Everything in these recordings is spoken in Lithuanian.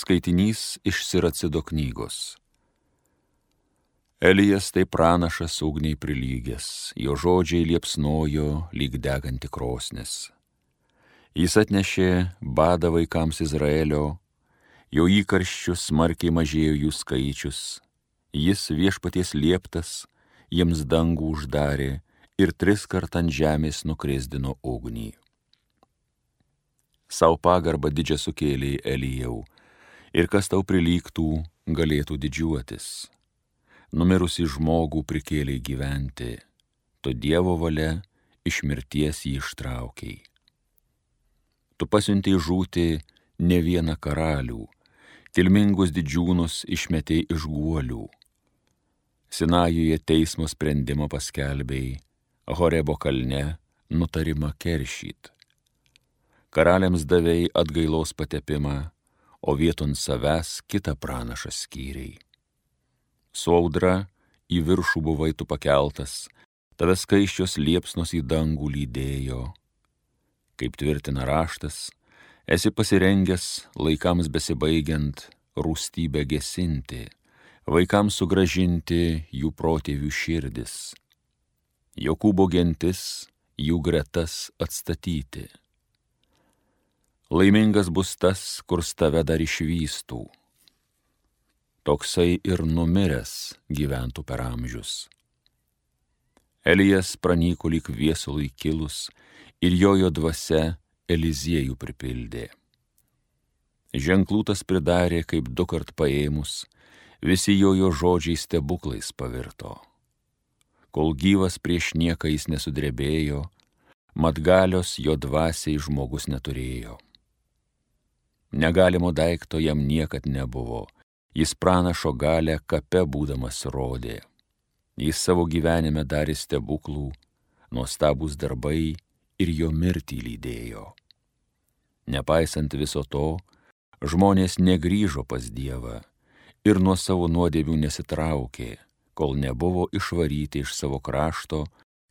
Skaitinys iš Siracido knygos. Elijas tai pranašas ugniai prilygęs, jo žodžiai liepsnojo lyg deganti krosnis. Jis atnešė badą vaikams Izraelio, jo įkarščių smarkiai mažėjo jų skaičius, jis viešpaties lieptas jiems dangų uždarė ir 3 kart ant žemės nukrisdino ugnį. Sau pagarbą didžią sukėlė Elijau, ir kas tau prilygtų, galėtų didžiuotis. Numirusį žmogų prikėlė gyventi, tu Dievo valia iš mirties jį ištraukiai. Tu pasiuntei žūti ne vieną karalių, kilmingus didžiūnus išmetei iš guolių. Sinajuje teismo sprendimą paskelbei, Horebo kalne nutarimą keršyt. Karaliams davei atgailos patepimą, o vieton savęs kitą pranašą skyrei. Su audra į viršų buvai tu pakeltas, tave skaisčios liepsnos į dangų lydėjo. Kaip tvirtina raštas, esi pasirengęs laikams besibaigiant rūstybę gesinti, vaikams sugrąžinti jų protėvių širdis, Jokūbo gentis jų gretas atstatyti. Laimingas bus tas, kur tave dar išvystų. Toksai ir numiręs gyventų per amžius. Elijas pranyko lyg viesului kilus ir jojo dvasia Eliziejų pripildė. Ženklų tas pridarė, kaip 2 kart paėmus, visi jojo žodžiai stebuklais pavirto. Kol gyvas prieš nieką jis nesudrebėjo, mat galios jo dvasiai žmogus neturėjo. Negalimo daikto jam niekad nebuvo, jis pranašo galę kape būdamas rodė. Jis savo gyvenime darė stebuklų, nuostabūs darbai ir jo mirtį lydėjo. Nepaisant viso to, žmonės negrįžo pas Dievą ir nuo savo nuodėmių nesitraukė, kol nebuvo išvaryti iš savo krašto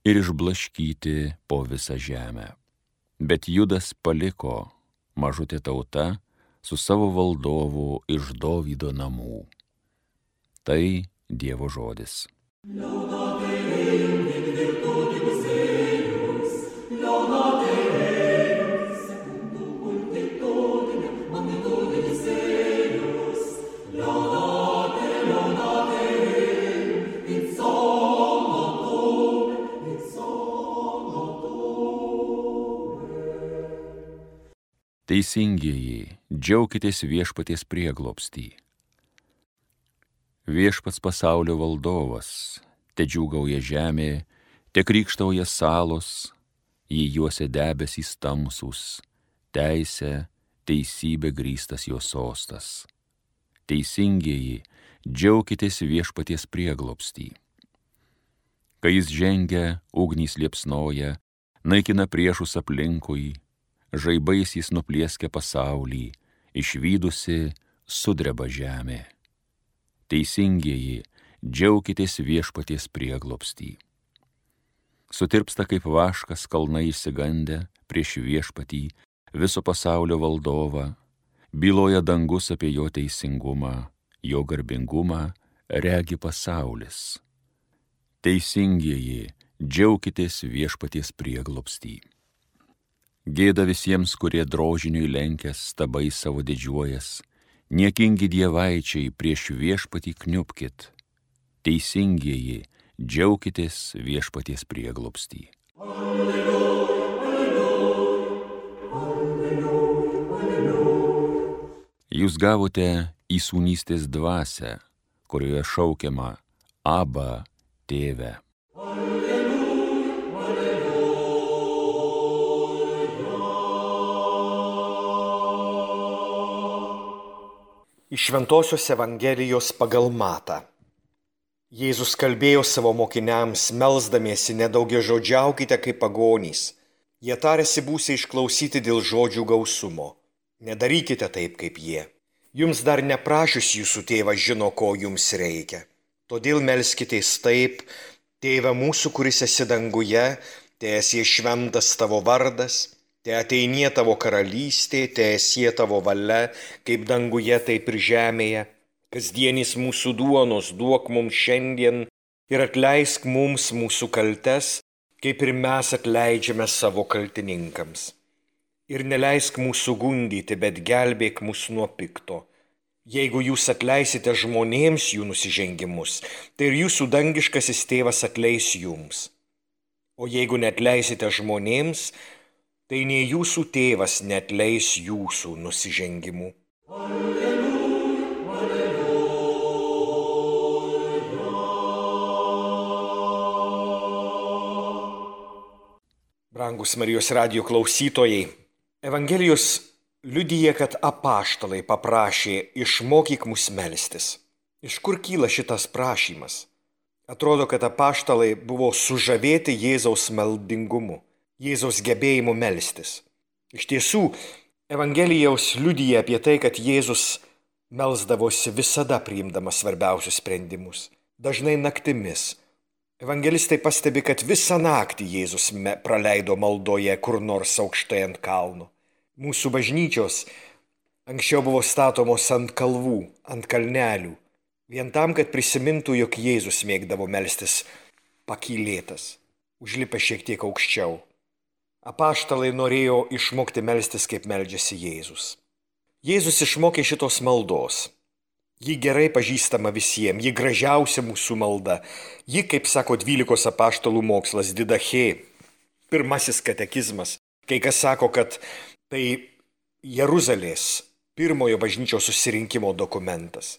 ir išblaškyti po visą žemę. Bet Judas paliko, mažutė tauta, su savo valdovu iš Dovydo namų. Tai Dievo žodis. Teisingieji, džiaukitės viešpaties prieglobstį. Viešpats pasaulio valdovas, te džiūgauja žemė, te krykštauja salos, jį juose debesys tamsūs, teisė, teisybė grįstas jo sostas. Teisingieji, džiaukitės viešpaties prieglobstį. Kai jis žengia, ugnys liepsnoja, naikina priešus aplinkui, žaibais jis nuplieskia pasaulį, išvydusi sudreba žemė. Teisingieji, džiaukitės viešpaties prieglobstį. Sutirpsta kaip vaškas kalnai išsigandę prieš viešpatį, viso pasaulio valdovą, byloja dangus apie jo teisingumą, jo garbingumą regi pasaulis. Teisingieji, džiaukitės viešpaties prieglobstį. Gėda visiems, kurie drožiniui lenkęs, stabai savo didžiuojas, niekingi dievaičiai prieš viešpatį kniupkit. Teisingieji, džiaukitės viešpaties prieglobstį. Alleluja, alleluja, alleluja, alleluja. Jūs gavote įsūnystės dvasią, kurioje šaukiama Abba, Tėve. Iš Šventosios Evangelijos pagal Matą. Jėzus kalbėjo savo mokiniams, melsdamiesi, nedaugiažodžiaukite kaip pagonys. Jie tarėsi būsią išklausyti dėl žodžių gausumo. Nedarykite taip kaip jie. Jums dar neprašius jūsų tėvas žino, ko jums reikia. Todėl melskitės taip: Tėve mūsų, kuris esi danguje, teesie šventas tavo vardas, Te ateinie tavo karalystė, te esie tavo valia, kaip danguje, taip ir žemėje. Kasdienis mūsų duonos duok mums šiandien ir atleisk mums mūsų kaltes, kaip ir mes atleidžiame savo kaltininkams. Ir neleisk mūsų gundyti, bet gelbėk mus nuo pikto. Jeigu jūs atleisite žmonėms jų nusižengimus, tai ir jūsų dangiškasis tėvas atleis jums. O jeigu neatleisite žmonėms, tai nei jūsų tėvas neatleis jūsų nusižengimų. Brangus Marijos radijo klausytojai, Evangelijos liudija, kad apaštalai paprašė išmokyk mus melstis. Iš kur kyla šitas prašymas? Atrodo, kad apaštalai buvo sužavėti Jėzaus maldingumu, Jėzaus gebėjimu melstis. Iš tiesų, Evangelijos liudija apie tai, kad Jėzus melsdavosi visada priimdamas svarbiausius sprendimus, dažnai naktimis. Evangelistai pastebi, kad visą naktį Jėzus praleido maldoje kur nors aukštai ant kalno. Mūsų bažnyčios anksčiau buvo statomos ant kalvų, ant kalnelių, vien tam, kad prisimintų, jog Jėzus mėgdavo melstis pakylėtas, užlipęs šiek tiek aukščiau. Apaštalai norėjo išmokti melstis, kaip meldžiasi Jėzus. Jėzus išmokė šitos maldos. Ji gerai pažįstama visiems, ji gražiausia mūsų malda. Ji, kaip sako 12 apaštalų mokslas, Didachė, pirmasis katekizmas. Kai kas sako, kad tai Jeruzalės pirmojo bažnyčios susirinkimo dokumentas.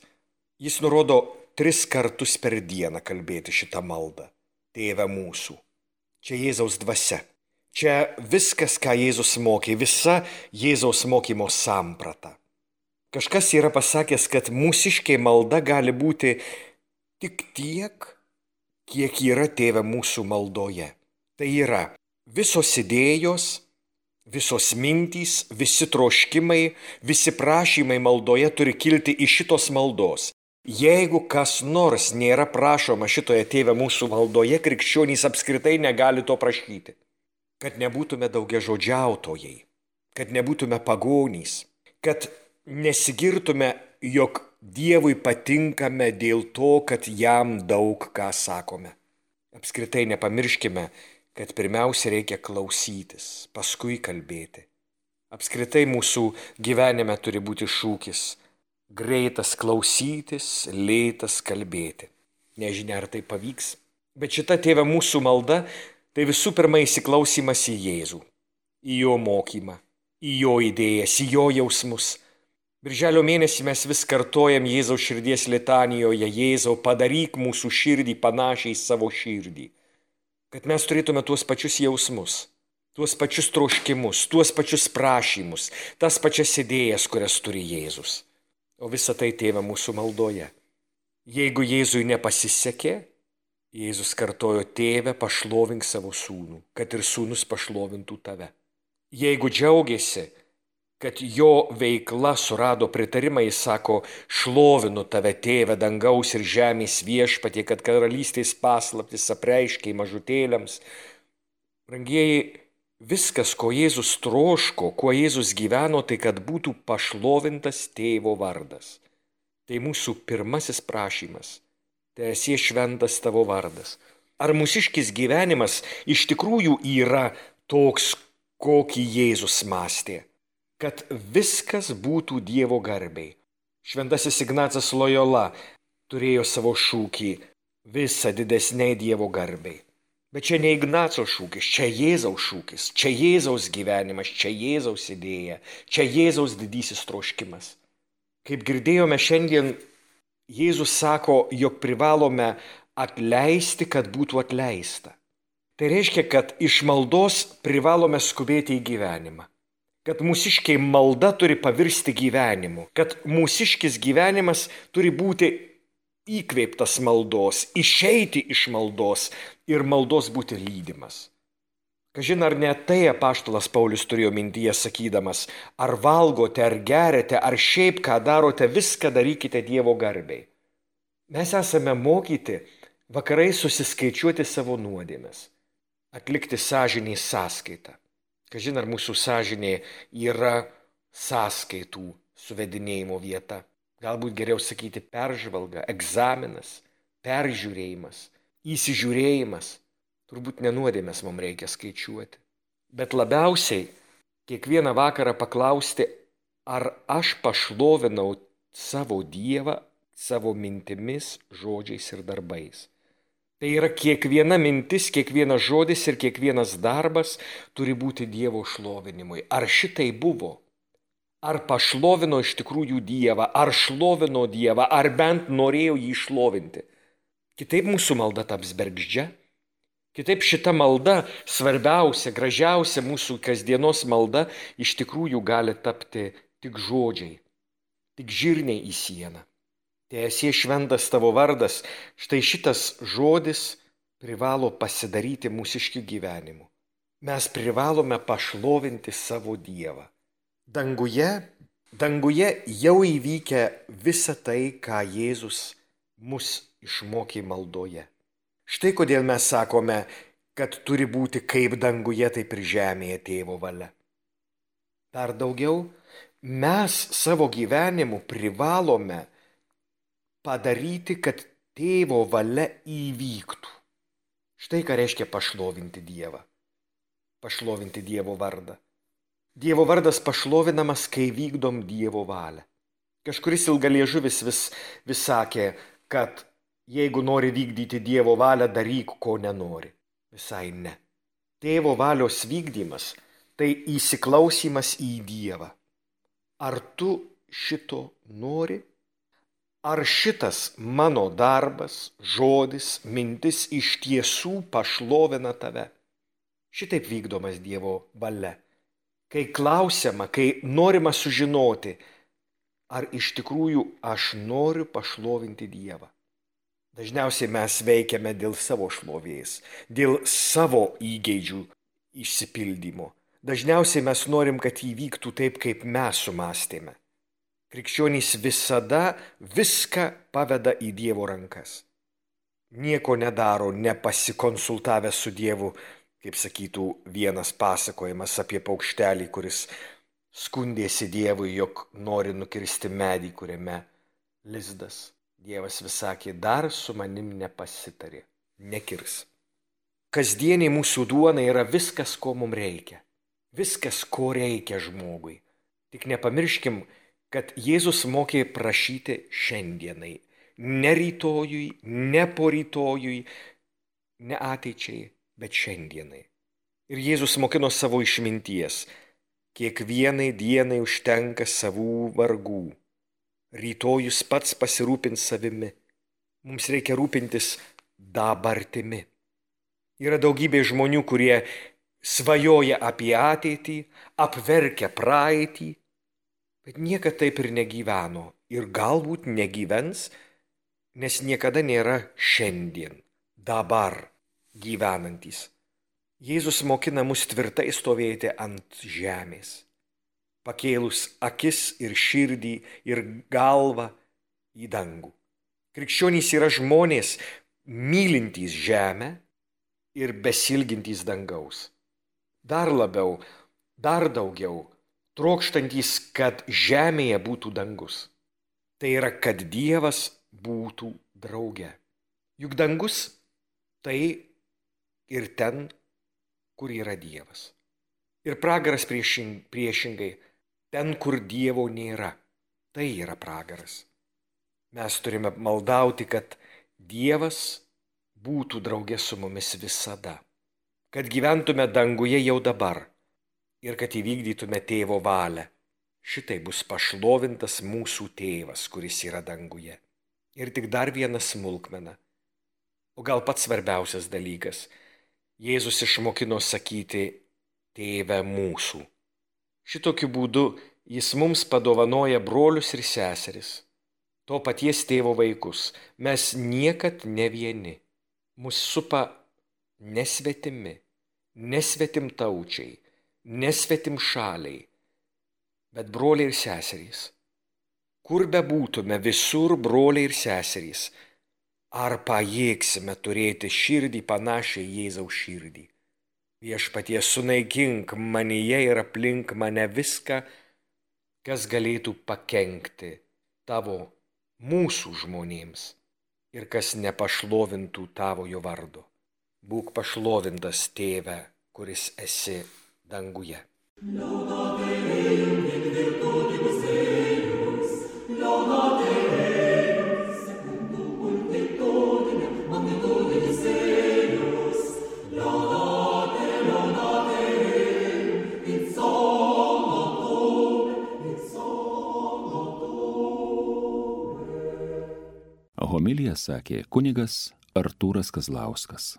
Jis nurodo 3 kartus per dieną kalbėti šitą maldą. Tėve mūsų. Čia Jėzaus dvasia. Čia viskas, ką Jėzus mokė, visa Jėzaus mokymo samprata. Kažkas yra pasakęs, kad mūsiškė malda gali būti tik tiek, kiek yra Tėve mūsų maldoje. Tai yra visos idėjos, visos mintys, visi troškimai, visi prašymai maldoje turi kilti iš šitos maldos. Jeigu kas nors nėra prašoma šitoje Tėve mūsų maldoje, krikščionys apskritai negali to prašyti. Kad nebūtume daugiažodžiautojai, kad nebūtume pagonys, kad nesigirtume, jog Dievui patinkame dėl to, kad jam daug ką sakome. Apskritai nepamirškime, kad pirmiausia reikia klausytis, paskui kalbėti. Apskritai mūsų gyvenime turi būti šūkis – greitas klausytis, lėtas kalbėti. Nežinia, ar tai pavyks, bet šita Tėve mūsų malda – tai visų pirma įsiklausymas į Jėzų, į jo mokymą, į jo idėjas, į jo jausmus. Birželio mėnesį mes vis kartojam Jėzaus širdies litanijoje: Jėzau, padaryk mūsų širdį panašiai į savo širdį. Kad mes turėtume tuos pačius jausmus, tuos pačius troškimus, tuos pačius prašymus, tas pačias idėjas, kurias turi Jėzus. O visa tai Tėve mūsų maldoje. Jeigu Jėzui nepasisekė, Jėzus kartojo: Tėve, pašlovink savo sūnų, kad ir sūnus pašlovintų tave. Jeigu džiaugiasi, kad jo veikla surado pritarimą, jis sako: šlovinu tave, Tėve, dangaus ir žemės viešpatie, kad karalystės paslaptis apreiškei mažutėliams. Brangieji, viskas, ko Jėzus troško, kuo Jėzus gyveno, tai kad būtų pašlovintas Tėvo vardas. Tai mūsų pirmasis prašymas. Teesie šventas tavo vardas. Ar mūsiškis gyvenimas iš tikrųjų yra toks, kokį Jėzus mąstė? Kad viskas būtų Dievo garbei. Šventasis Ignacas Lojola turėjo savo šūkį: visa didesniai Dievo garbei. Bet čia ne Ignaco šūkis, čia Jėzaus šūkis, čia Jėzaus gyvenimas, čia Jėzaus idėja, čia Jėzaus didysis troškimas. Kaip girdėjome šiandien, Jėzus sako, jog privalome atleisti, kad būtų atleista. Tai reiškia, kad iš maldos privalome skubėti į gyvenimą. Kad mūsiškiai malda turi pavirsti gyvenimu. Kad mūsiškis gyvenimas turi būti įkvėptas maldos, išeiti iš maldos ir maldos būti lydimas. Kažin ar ne tai apaštalas Paulius turėjo mintyje sakydamas: ar valgote, ar geriate, ar šiaip ką darote, viską darykite Dievo garbei. Mes esame mokyti vakarais susiskaičiuoti savo nuodėmes, atlikti sąžinės sąskaitą. Kažin ar mūsų sąžinė yra sąskaitų suvedinėjimo vieta. Galbūt geriau sakyti peržvalga, egzaminas, peržiūrėjimas, įsižiūrėjimas. Turbūt ne nuodėmes mums reikia skaičiuoti. Bet labiausiai kiekvieną vakarą paklausti, ar aš pašlovinau savo Dievą savo mintimis, žodžiais ir darbais. Tai yra kiekviena mintis, kiekvienas žodis ir kiekvienas darbas turi būti Dievo šlovinimui. Ar šitai buvo? Ar pašlovino iš tikrųjų Dievą, ar šlovino Dievą, ar bent norėjo jį šlovinti? Kitaip mūsų malda taps bergždžia. Kitaip šita malda, svarbiausia, gražiausia mūsų kasdienos malda, iš tikrųjų gali tapti tik žodžiai, tik žirniai į sieną. Teesie šventas tavo vardas, štai šitas žodis privalo pasidaryti mūsiškių gyvenimu. Mes privalome pašlovinti savo Dievą. Danguje jau įvykę visa tai, ką Jėzus mus išmokė maldoje. Štai kodėl mes sakome, kad turi būti kaip danguje, taip ir žemėje Tėvo valia. Dar daugiau, mes savo gyvenimu privalome padaryti, kad Tėvo valia įvyktų. Štai ką reiškia pašlovinti Dievą, pašlovinti Dievo vardą. Dievo vardas pašlovinamas, kai vykdom Dievo valią. Kažkuris ilgaliežuvis vis sakė, kad jeigu nori vykdyti Dievo valią, daryk, ko nenori. Visai ne. Tėvo valios vykdymas tai įsiklausymas į Dievą. Ar tu šito nori? Ar šitas mano darbas, žodis, mintis iš tiesų pašlovina tave? Šitaip vykdomas Dievo valia. Kai klausiama, kai norima sužinoti, ar iš tikrųjų aš noriu pašlovinti Dievą. Dažniausiai mes veikiame dėl savo šlovės, dėl savo įgeidžių išsipildymo. Dažniausiai mes norim, kad įvyktų taip, kaip mes sumastėme. Krikščionys visada viską paveda į Dievo rankas. Nieko nedaro, nepasikonsultavę su Dievu, kaip sakytų vienas pasakojimas apie paukštelį, kuris skundėsi Dievui, jog nori nukirsti medį, kuriame lizdas. Dievas vis sakė, dar su manim nepasitarė, nekirs. Kasdieniai mūsų duona yra viskas, ko mums reikia. Viskas, ko reikia žmogui. Tik nepamirškim, kad Jėzus mokė prašyti šiandienai. Ne rytojui, ne porytojui, ne ateičiai, bet šiandienai. Ir Jėzus mokino savo išminties. Kiekvienai dienai užtenka savų vargų. Rytojus pats pasirūpins savimi. Mums reikia rūpintis dabartimi. Yra daugybė žmonių, kurie svajoja apie ateitį, apverkia praeitį, bet niekada taip ir negyveno ir galbūt negyvens, nes niekada nėra šiandien, dabar gyvenantys. Jėzus mokina mus tvirtai stovėti ant žemės, pakėlus akis ir širdį ir galvą į dangų. Krikščionys yra žmonės mylintys žemę ir besilgintys dangaus. Dar labiau, dar daugiau, trokštantys, kad žemėje būtų dangus. Tai yra, kad Dievas būtų drauge. Juk dangus tai ir ten, kur yra Dievas. Ir pragaras priešingai, ten, kur Dievo nėra, tai yra pragaras. Mes turime maldauti, kad Dievas būtų drauge su mumis visada, kad gyventume danguje jau dabar ir kad įvykdytume Tėvo valią. Šitai bus pašlovintas mūsų Tėvas, kuris yra danguje. Ir tik dar viena smulkmena, o gal pats svarbiausias dalykas. Jėzus išmokino sakyti Tėve mūsų. Šitokiu būdu jis mums padovanoja brolius ir seseris, to paties Tėvo vaikus. Mes niekad ne vieni. Mus supa nesvetimi, nesvetimtaučiai, nesvetimšaliai, bet broliai ir seserys. Kur bebūtume, visur broliai ir seserys. Ar pajėgsime turėti širdį panašią į Jėzaus širdį? Viešpatie, sunaikink manyje ir aplink mane viską, kas galėtų pakenkti tavo, mūsų žmonėms ir kas nepašlovintų tavojo vardo. Būk pašlovintas, Tėve, kuris esi danguje. Homiliją sakė kunigas Artūras Kazlauskas.